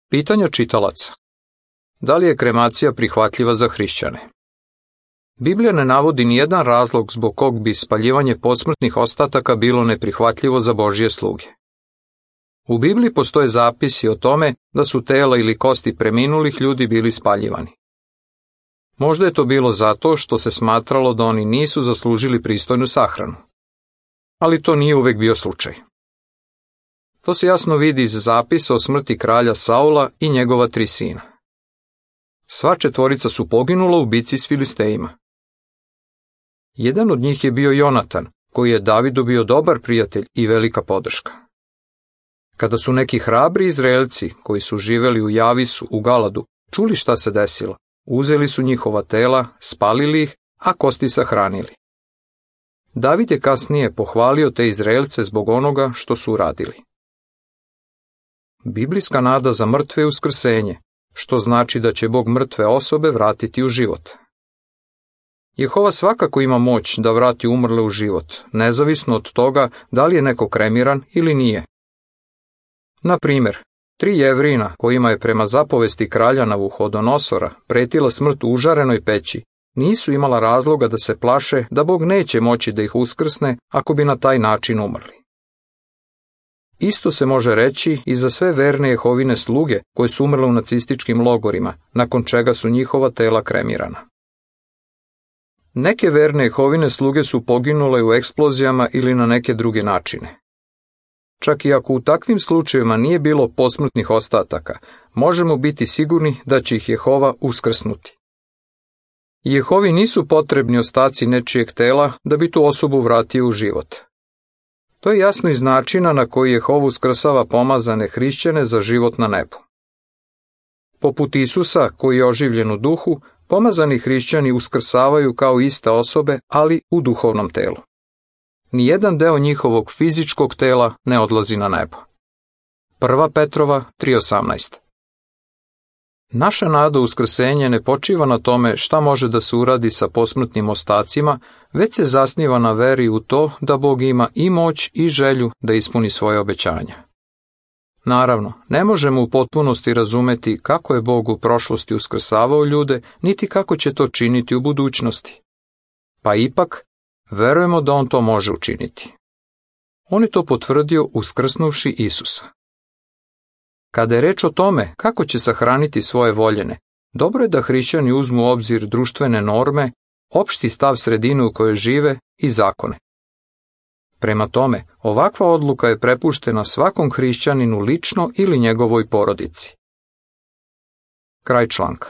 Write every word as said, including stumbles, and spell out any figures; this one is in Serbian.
Pitanja čitalaca. Da li je kremacija prihvatljiva za hrišćane? Biblija ne navodi nijedan razlog zbog kog bi spaljivanje posmrtnih ostataka bilo neprihvatljivo za Božje sluge. U Bibliji postoje zapisi o tome da su tela ili kosti preminulih ljudi bili spaljivani. Možda je to bilo zato što se smatralo da oni nisu zaslužili pristojnu sahranu. Ali to nije uvek bio slučaj. To se jasno vidi iz zapisa o smrti kralja Saula i njegova tri sina. Sva četvorica su poginula u bici s Filistejima. Jedan od njih je bio Jonatan, koji je Davidu bio dobar prijatelj i velika podrška. Kada su neki hrabri Izraelci, koji su živeli u Javisu u Galadu, čuli šta se desilo, uzeli su njihova tela, spalili ih, a kosti sahranili. David je kasnije pohvalio te Izraelce zbog onoga što su uradili. Biblijska nada za mrtve je uskrsenje, što znači da će Bog mrtve osobe vratiti u život. Jehova svakako ima moć da vrati umrle u život, nezavisno od toga da li je neko kremiran ili nije. Na primjer, tri Jevrina kojima je prema zapovesti kralja Navuhodonosora pretila smrt u užarenoj peći, nisu imala razloga da se plaše da Bog neće moći da ih uskrsne ako bi na taj način umrli. Isto se može reći i za sve verne Jehovine sluge koje su umrle u nacističkim logorima, nakon čega su njihova tela kremirana. Neke verne Jehovine sluge su poginule u eksplozijama ili na neke druge načine. Čak i ako u takvim slučajevima nije bilo posmrtnih ostataka, možemo biti sigurni da će ih Jehova uskrsnuti. Jehovi nisu potrebni ostaci nečijeg tela da bi tu osobu vratio u život. To je jasno iz načina na koji Jehova uskrsava pomazane hrišćane za život na nebu. Poput Isusa, koji je oživljen u duhu, pomazani hrišćani uskrsavaju kao iste osobe, ali u duhovnom telu. Nijedan deo njihovog fizičkog tela ne odlazi na nebo. Prva Petrova tri osamnaest. Naša nada u uskrsenje ne počiva na tome šta može da se uradi sa posmrtnim ostacima, već se zasniva na veri u to da Bog ima i moć i želju da ispuni svoje obećanja. Naravno, ne možemo u potpunosti razumeti kako je Bog u prošlosti uskrsavao ljude, niti kako će to činiti u budućnosti. Pa ipak, verujemo da on to može učiniti. On je to potvrdio uskrsnuvši Isusa. Kada je reč o tome kako će sahraniti svoje voljene, dobro je da hrišćani uzmu u obzir društvene norme, opšti stav sredine u kojoj žive i zakone. Prema tome, ovakva odluka je prepuštena svakom hrišćaninu lično ili njegovoj porodici. Kraj članka.